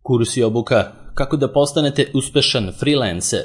Kurs i obuka kako da postanete uspešan freelancer.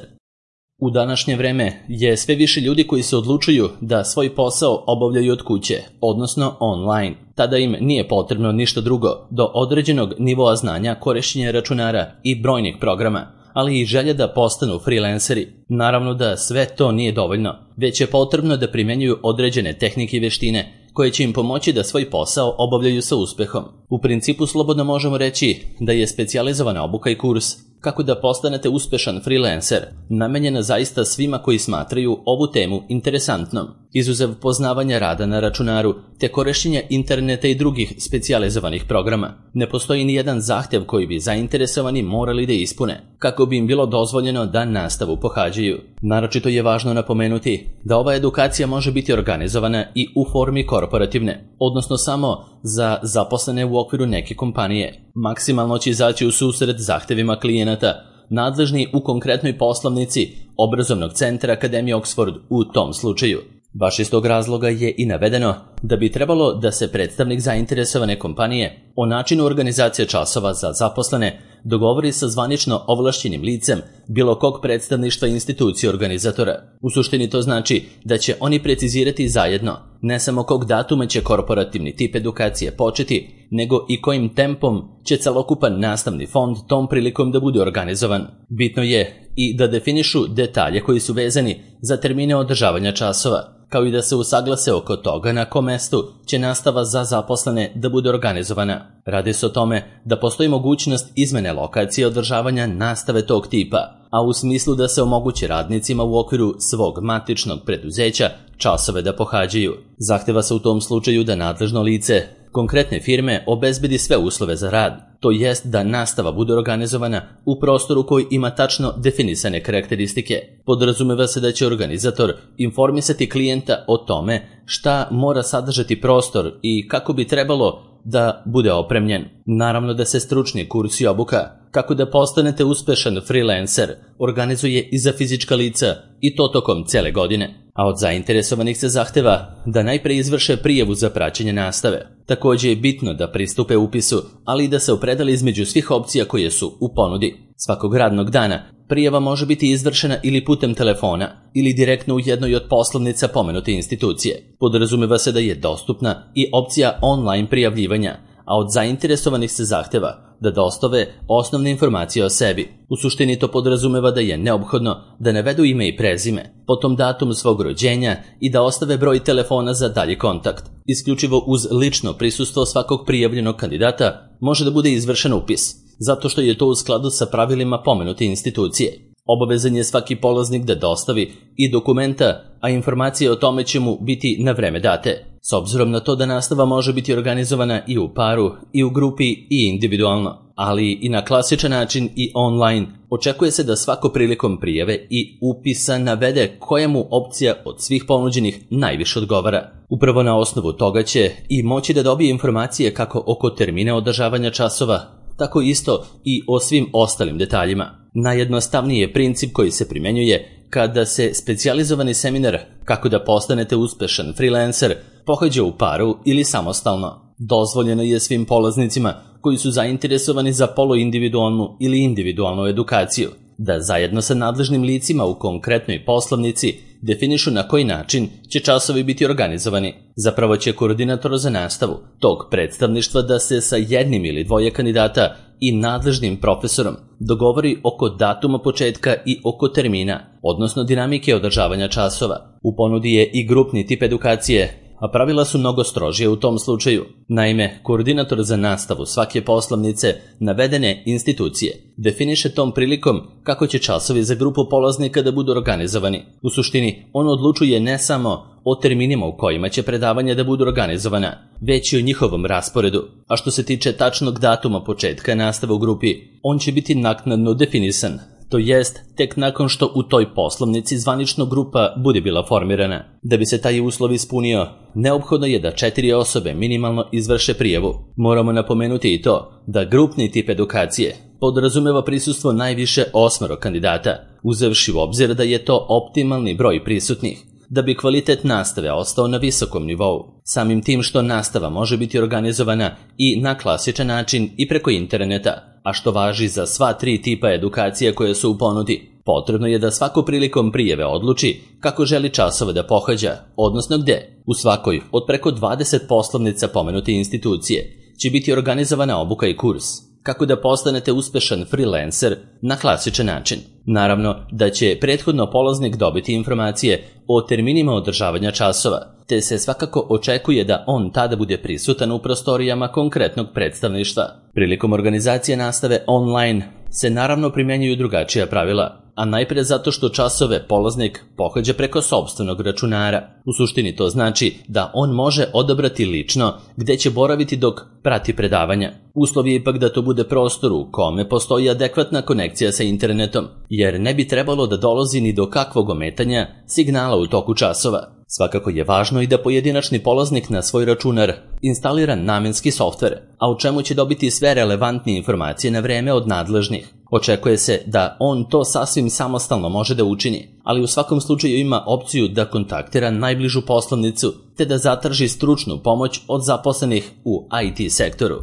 U današnje vreme je sve više ljudi koji se odlučuju da svoj posao obavljaju od kuće, odnosno online. Tada im nije potrebno ništa drugo do određenog nivoa znanja korišćenja računara i brojnih programa, ali i želja da postanu freelanceri. Naravno da sve to nije dovoljno, već je potrebno da primenjuju određene tehnike i veštine koje će im pomoći da svoj posao obavljaju sa uspehom. U principu slobodno možemo reći da je specijalizovana obuka i kurs kako da postanete uspešan freelancer namenjena zaista svima koji smatraju ovu temu interesantnom. Izuzev poznavanja rada na računaru te korišćenja interneta i drugih specijalizovanih programa, ne postoji ni jedan zahtev koji bi zainteresovani morali da ispune kako bi im bilo dozvoljeno da nastavu pohađaju. Naročito je važno napomenuti da ova edukacija može biti organizovana i u formi korporativne, odnosno samo za zaposlene u okviru neke kompanije. Maksimalno će izaći u susret zahtevima klijenata nadležni u konkretnoj poslovnici obrazovnog centra Akademije Oxford u tom slučaju. Baš iz tog razloga je i navedeno da bi trebalo da se predstavnik zainteresovane kompanije o načinu organizacije časova za zaposlene dogovori sa zvanično ovlašćenim licem bilo kog predstavništva institucije organizatora. U suštini to znači da će oni precizirati zajedno ne samo kog datuma će korporativni tip edukacije početi, nego i kojim tempom će celokupan nastavni fond tom prilikom da bude organizovan. Bitno je i da definišu detalje koji su vezani za termine održavanja časova, kao i da se usaglase oko toga na kom mestu će nastava za zaposlene da bude organizovana. Radi se o tome da postoji mogućnost izmene lokacije održavanja nastave tog tipa, a u smislu da se omogući radnicima u okviru svog matičnog preduzeća časove da pohađaju. Zahteva se u tom slučaju da nadležno lice konkretne firme obezbedi sve uslove za rad, to jest da nastava bude organizovana u prostoru koji ima tačno definisane karakteristike. Podrazumeva se da će organizator informisati klijenta o tome šta mora sadržati prostor i kako bi trebalo da bude opremljen. Naravno da se stručni kurs i obuka kako da postanete uspešan freelancer organizuje i za fizička lica i to tokom cele godine, a od zainteresovanih se zahteva da najpre izvrše prijavu za praćenje nastave. Također je bitno da pristupe upisu, ali i da se opredele između svih opcija koje su u ponudi. Svakog radnog dana prijava može biti izvršena ili putem telefona ili direktno u jednoj od poslovnica pomenute institucije. Podrazumeva se da je dostupna i opcija online prijavljivanja, a od zainteresovanih se zahteva da dostave osnovne informacije o sebi. U suštini to podrazumeva da je neophodno da navedu ime i prezime, potom datum svog rođenja i da ostave broj telefona za dalji kontakt. Isključivo uz lično prisustvo svakog prijavljenog kandidata može da bude izvršen upis, zato što je to u skladu sa pravilima pomenute institucije. Obavezan je svaki polaznik da dostavi i dokumenta, a informacije o tome će mu biti na vreme date. S obzirom na to da nastava može biti organizovana i u paru, i u grupi, i individualno, ali i na klasičan način i online, očekuje se da svako prilikom prijave i upisa navede koja mu opcija od svih ponuđenih najviše odgovara. Upravo na osnovu toga će i moći da dobije informacije kako oko termina održavanja časova, tako isto i o svim ostalim detaljima. Najjednostavniji je princip koji se primjenjuje kada se specijalizovani seminar kako da postanete uspešan freelancer pohađa u paru ili samostalno. Dozvoljeno je svim polaznicima koji su zainteresovani za poluindividualnu ili individualnu edukaciju da zajedno sa nadležnim licima u konkretnoj poslovnici definišu na koji način će časovi biti organizovani. Zapravo će koordinator za nastavu tog predstavništva da se sa jednim ili dvoje kandidata i nadležnim profesorom dogovori oko datuma početka i oko termina, odnosno dinamike održavanja časova. U ponudi je i grupni tip edukacije, a pravila su mnogo strožije u tom slučaju. Naime, koordinator za nastavu svake poslovnice navedene institucije definiše tom prilikom kako će časovi za grupu polaznika da budu organizovani. U suštini, on odlučuje ne samo o terminima u kojima će predavanja da budu organizovana, već i o njihovom rasporedu. A što se tiče tačnog datuma početka nastave u grupi, on će biti naknadno definisan, to jest tek nakon što u toj poslovnici zvanično grupa bude bila formirana. Da bi se taj uslov ispunio, neophodno je da 4 osobe minimalno izvrše prijavu. Moramo napomenuti i to da grupni tip edukacije podrazumeva prisustvo najviše 8 kandidata, uzevši u obzir da je to optimalni broj prisutnih, da bi kvalitet nastave ostao na visokom nivou. Samim tim što nastava može biti organizovana i na klasičan način i preko interneta, a što važi za sva 3 tipa edukacija koje su u ponudi. Potrebno je da svako prilikom prijave odluči kako želi časove da pohađa, odnosno gde. U svakoj od preko 20 poslovnica pomenute institucije će biti organizovana obuka i kurs kako da postanete uspešan freelancer na klasičan način. Naravno da će prethodno polaznik dobiti informacije o terminima održavanja časova, te se svakako očekuje da on tada bude prisutan u prostorijama konkretnog predstavništva. Prilikom organizacije nastave online se naravno primjenjuju drugačija pravila, a najpre zato što časove polaznik pohađa preko sopstvenog računara. U suštini to znači da on može odabrati lično gde će boraviti dok prati predavanja. Uslov je ipak da to bude prostor u kome postoji adekvatna konekcija sa internetom, jer ne bi trebalo da dolazi ni do kakvog ometanja signala u toku časova. Svakako je važno i da pojedinačni polaznik na svoj računar instalira namenski softver, a u čemu će dobiti sve relevantne informacije na vreme od nadležnih. Očekuje se da on to sasvim samostalno može da učini, ali u svakom slučaju ima opciju da kontaktira najbližu poslovnicu te da zatraži stručnu pomoć od zaposlenih u IT sektoru.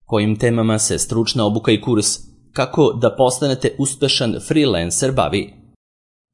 Kojim temama se stručna obuka i kurs kako da postanete uspešan freelancer bavi?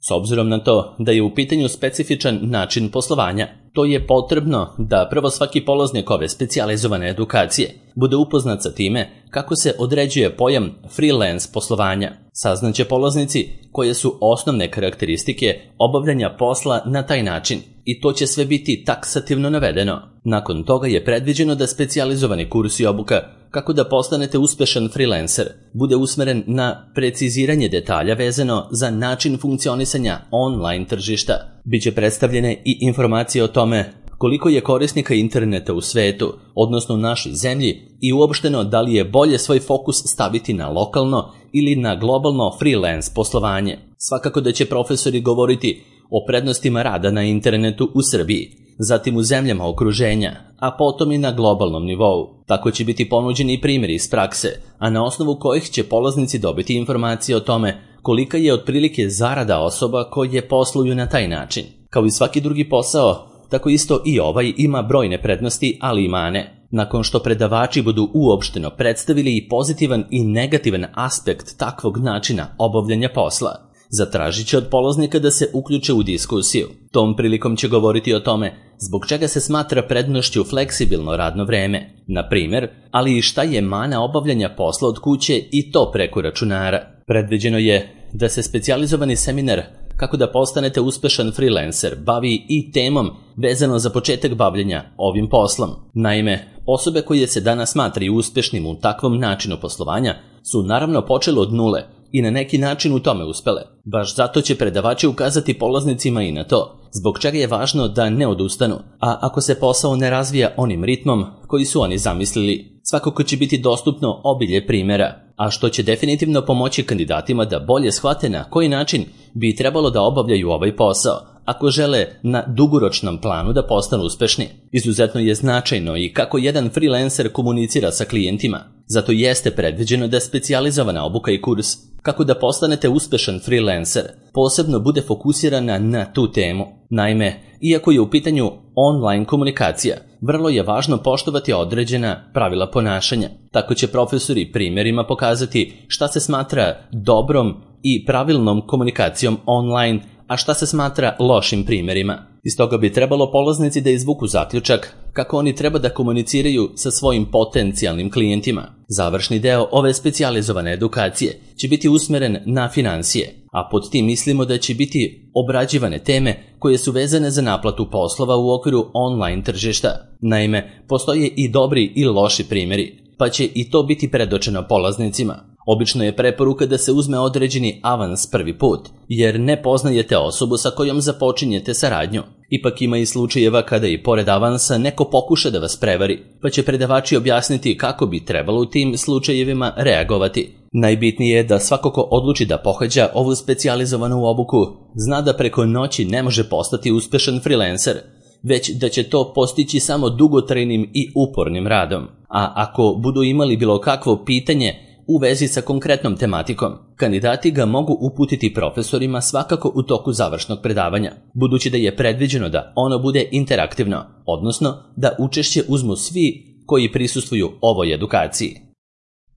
S obzirom na to da je u pitanju specifičan način poslovanja, to je potrebno da prvo svaki polaznik ove specijalizovane edukacije bude upoznat sa time kako se određuje pojam freelance poslovanja. Saznaće polaznici koje su osnovne karakteristike obavljanja posla na taj način i to će sve biti taksativno navedeno. Nakon toga je predviđeno da specijalizovani kurs i obuka kako da postanete uspešan freelancer bude usmeren na preciziranje detalja vezano za način funkcionisanja online tržišta. Biće predstavljene i informacije o tome koliko je korisnika interneta u svetu, odnosno u našoj zemlji, i uopšteno da li je bolje svoj fokus staviti na lokalno ili na globalno freelance poslovanje. Svakako da će profesori govoriti o prednostima rada na internetu u Srbiji, zatim u zemljama okruženja, a potom i na globalnom nivou. Tako će biti ponuđeni i primjeri iz prakse, a na osnovu kojih će polaznici dobiti informacije o tome kolika je otprilike zarada osoba koje posluju na taj način. Kao i svaki drugi posao, tako isto i ovaj ima brojne prednosti, ali i mane. Nakon što predavači budu uopšteno predstavili i pozitivan i negativan aspekt takvog načina obavljanja posla, zatražit će od polaznika da se uključe u diskusiju. Tom prilikom će govoriti o tome zbog čega se smatra prednošću fleksibilno radno vreme, na primjer, ali i šta je mana obavljanja posla od kuće i to preko računara. Predviđeno je da se specijalizovani seminar kako da postanete uspešan freelancer bavi i temom vezano za početak bavljenja ovim poslom. Naime, osobe koje se danas smatraju uspešnim u takvom načinu poslovanja su naravno počele od nule i na neki način u tome uspele. Baš zato će predavači ukazati polaznicima i na to, zbog čega je važno da ne odustanu, a ako se posao ne razvija onim ritmom koji su oni zamislili, svakako će biti dostupno obilje primjera, a što će definitivno pomoći kandidatima da bolje shvate na koji način bi trebalo da obavljaju ovaj posao, ako žele na dugoročnom planu da postanu uspešni. Izuzetno je značajno i kako jedan freelancer komunicira sa klijentima. Zato jeste predviđeno da specijalizovana obuka i kurs kako da postanete uspešan freelancer posebno bude fokusirana na tu temu. Naime, iako je u pitanju online komunikacija, vrlo je važno poštovati određena pravila ponašanja. Tako će profesori primjerima pokazati šta se smatra dobrom i pravilnom komunikacijom online, a šta se smatra lošim primjerima. Iz toga bi trebalo polaznici da izvuku zaključak kako oni treba da komuniciraju sa svojim potencijalnim klijentima. Završni deo ove specijalizovane edukacije će biti usmeren na finansije, a pod tim mislimo da će biti obrađivane teme koje su vezane za naplatu poslova u okviru online tržišta. Naime, postoje i dobri i loši primjeri, pa će i to biti predočeno polaznicima. Obično je preporuka da se uzme određeni avans prvi put, jer ne poznajete osobu sa kojom započinjete saradnju. Ipak ima i slučajeva kada i pored avansa neko pokuša da vas prevari, pa će predavači objasniti kako bi trebalo u tim slučajevima reagovati. Najbitnije je da svako ko odluči da pohađa ovu specijalizovanu obuku zna da preko noći ne može postati uspešan freelancer, već da će to postići samo dugotrajnim i upornim radom. A ako budu imali bilo kakvo pitanje u vezi sa konkretnom tematikom, kandidati ga mogu uputiti profesorima svakako u toku završnog predavanja, budući da je predviđeno da ono bude interaktivno, odnosno da učešće uzmu svi koji prisustvuju ovoj edukaciji.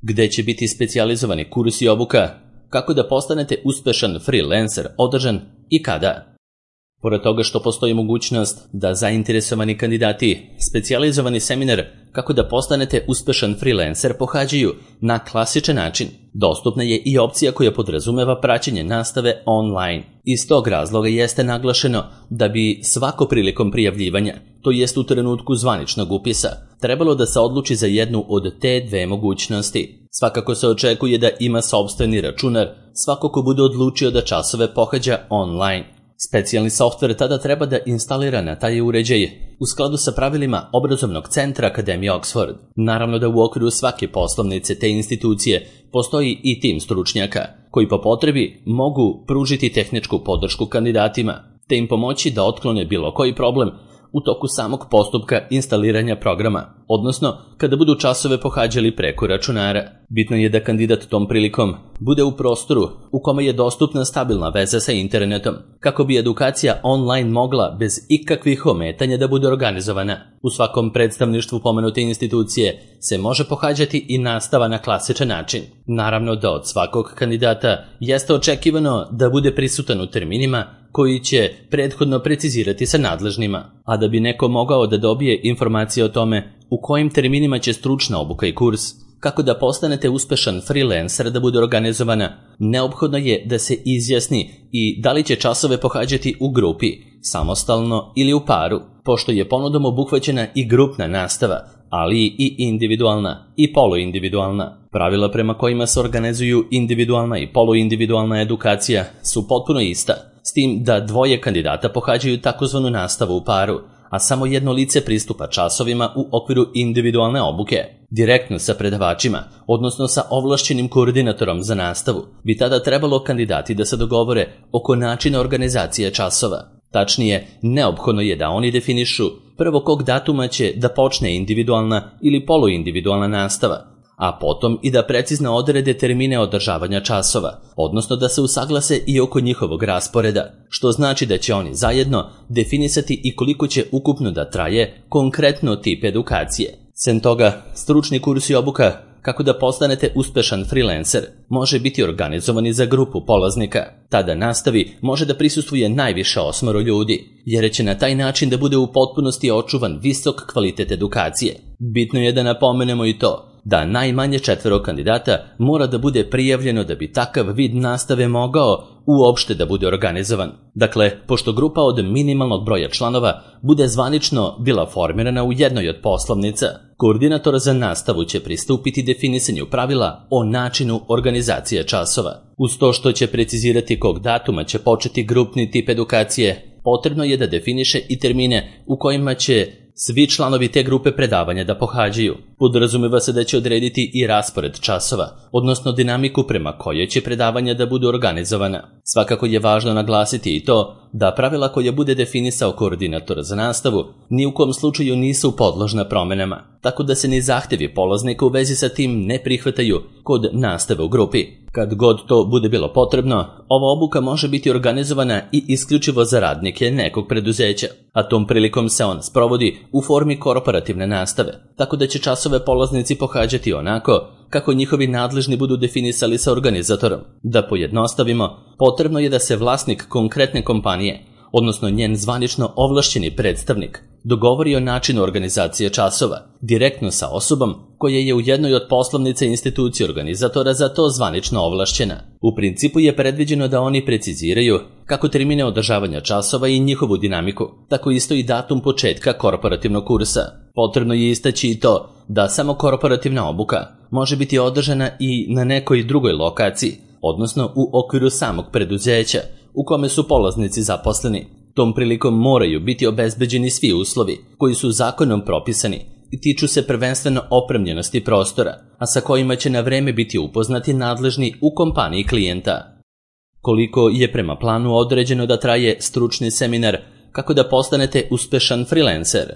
gde će biti specijalizovani kurs i obuka, kako da postanete uspešan freelancer održan i kada. Pored toga što postoji mogućnost da zainteresovani kandidati specijalizovani seminar kako da postanete uspešan freelancer pohađaju na klasičan način, dostupna je i opcija koja podrazumeva praćenje nastave online. Iz tog razloga jeste naglašeno da bi svako prilikom prijavljivanja, to jest u trenutku zvaničnog upisa, trebalo da se odluči za jednu od te dve mogućnosti. Svakako se očekuje da ima sopstveni računar svako ko bude odlučio da časove pohađa online. Specijalni softver tada treba da instalira na taj uređaj u skladu sa pravilima obrazovnog centra Akademije Oxford. Naravno da u okviru svake poslovnice te institucije postoji i tim stručnjaka koji po potrebi mogu pružiti tehničku podršku kandidatima te im pomoći da otklone bilo koji problem u toku samog postupka instaliranja programa, odnosno kada budu časove pohađali preko računara. Bitno je da kandidat tom prilikom bude u prostoru u kome je dostupna stabilna veza sa internetom, kako bi edukacija online mogla bez ikakvih ometanja da bude organizovana. U svakom predstavništvu pomenute institucije se može pohađati i nastava na klasičan način. Naravno da od svakog kandidata jeste očekivano da bude prisutan u terminima koji će prethodno precizirati sa nadležnima, a da bi neko mogao da dobije informacije o tome u kojim terminima će stručna obuka i kurs, kako da postanete uspešan freelancer da bude organizovana, neophodno je da se izjasni i da li će časove pohađati u grupi, samostalno ili u paru, pošto je ponudom obuhvaćena i grupna nastava, ali i individualna i poluindividualna. Pravila prema kojima se organizuju individualna i poluindividualna edukacija su potpuno ista, s tim da dvoje kandidata pohađaju takozvanu nastavu u paru, a samo jedno lice pristupa časovima u okviru individualne obuke, direktno sa predavačima, odnosno sa ovlašćenim koordinatorom za nastavu. Bi tada trebalo kandidati da se dogovore oko načina organizacije časova. Tačnije, neophodno je da oni definišu prvo kog datuma će da počne individualna ili poluindividualna nastava, a potom i da precizno odrede termine održavanja časova, odnosno da se usaglase i oko njihovog rasporeda, što znači da će oni zajedno definisati i koliko će ukupno da traje konkretno tip edukacije. Sem toga, stručni kurs i obuka kako da postanete uspešan freelancer može biti organizovani za grupu polaznika. Tada nastavi može da prisustvuje najviše 8 ljudi, jer će na taj način da bude u potpunosti očuvan visok kvalitet edukacije. Bitno je da napomenemo i to da najmanje 4 kandidata mora da bude prijavljeno da bi takav vid nastave mogao uopšte da bude organizovan. Dakle, pošto grupa od minimalnog broja članova bude zvanično bila formirana u jednoj od poslovnica, koordinator za nastavu će pristupiti definisanju pravila o načinu organizacije časova. Uz to što će precizirati kog datuma će početi grupni tip edukacije, potrebno je da definiše i termine u kojima će svi članovi te grupe predavanja da pohađaju. Podrazumeva se da će odrediti i raspored časova, odnosno dinamiku prema kojoj će predavanja da budu organizovana. Svakako je važno naglasiti i to da pravila koje bude definisao koordinator za nastavu ni u kom slučaju nisu podložna promenama, tako da se ni zahtevi polaznika u vezi sa tim ne prihvataju kod nastave u grupi. Kad god to bude bilo potrebno, ova obuka može biti organizovana i isključivo za radnike nekog preduzeća, a tom prilikom se on sprovodi u formi korporativne nastave, tako da će časove polaznici pohađati onako kako njihovi nadležni budu definisali sa organizatorom. Da pojednostavimo, potrebno je da se vlasnik konkretne kompanije, odnosno njen zvanično ovlašćeni predstavnik, dogovori o načinu organizacije časova, direktno sa osobom koja je u jednoj od poslovnica institucije organizatora za to zvanično ovlašćena. U principu je predviđeno da oni preciziraju kako termine održavanja časova i njihovu dinamiku, tako isto i datum početka korporativnog kursa. Potrebno je istaći i to da samo korporativna obuka može biti održana i na nekoj drugoj lokaciji, odnosno u okviru samog preduzeća u kome su polaznici zaposleni. Tom prilikom moraju biti obezbeđeni svi uslovi koji su zakonom propisani i tiču se prvenstveno opremljenosti prostora, a sa kojima će na vreme biti upoznati nadležni u kompaniji klijenta. Koliko je prema planu određeno da traje stručni seminar kako da postanete uspešan freelancer?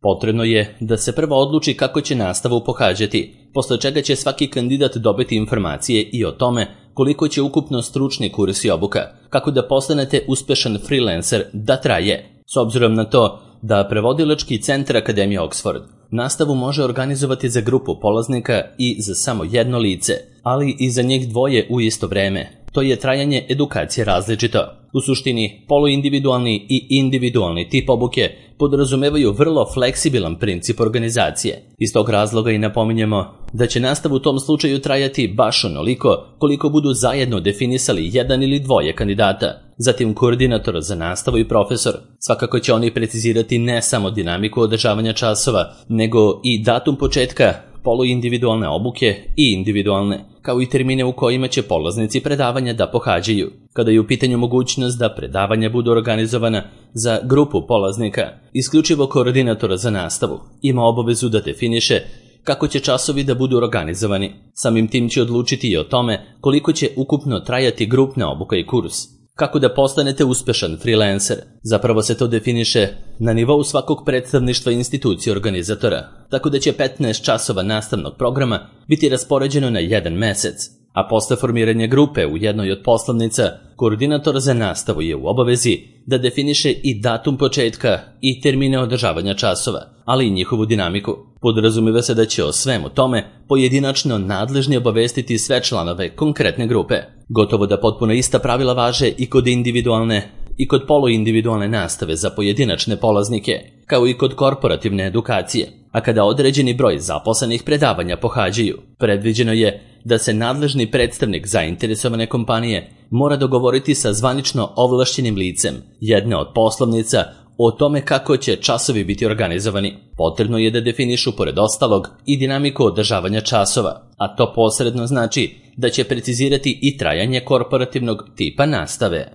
Potrebno je da se prvo odluči kako će nastavu pohađati, posle čega će svaki kandidat dobiti informacije i o tome koliko će ukupno stručni kurs i obuka kako da postanete uspešan freelancer da traje. S obzirom na to da prevodilački centar Akademije Oxford nastavu može organizovati za grupu polaznika i za samo jedno lice, ali i za njih dvoje u isto vreme. To je trajanje edukacije različito. U suštini, poluindividualni i individualni tip obuke podrazumevaju vrlo fleksibilan princip organizacije. Iz tog razloga i napominjemo da će nastava u tom slučaju trajati baš onoliko koliko budu zajedno definisali jedan ili dvoje kandidata. Zatim koordinator za nastavu i profesor. Svakako će oni precizirati ne samo dinamiku održavanja časova, nego i datum početka poluindividualne obuke i individualne, kao i termine u kojima će polaznici predavanja da pohađaju. Kada je u pitanju mogućnost da predavanja budu organizovana za grupu polaznika, isključivo koordinator za nastavu ima obavezu da definiše kako će časovi da budu organizovani. Samim tim će odlučiti i o tome koliko će ukupno trajati grupna obuka i kurs. Kako da postanete uspešan freelancer? Zapravo se to definiše na nivou svakog predstavništva institucije organizatora, tako da će 15 časova nastavnog programa biti raspoređeno na jedan mesec, a posle formiranja grupe u jednoj od poslovnica, koordinator za nastavu je u obavezi da definiše i datum početka i termine održavanja časova, ali i njihovu dinamiku. Podrazumijeva se da će o svemu tome pojedinačno nadležni obavestiti sve članove konkretne grupe. Gotovo da potpuno ista pravila važe i kod individualne i kod poluindividualne nastave za pojedinačne polaznike, kao i kod korporativne edukacije. A kada određeni broj zaposlenih predavanja pohađaju, predviđeno je da se nadležni predstavnik zainteresovane kompanije mora dogovoriti sa zvanično ovlašćenim licem jedne od poslovnica o tome kako će časovi biti organizovani. Potrebno je da definišu pored ostalog i dinamiku održavanja časova, a to posredno znači da će precizirati i trajanje korporativnog tipa nastave.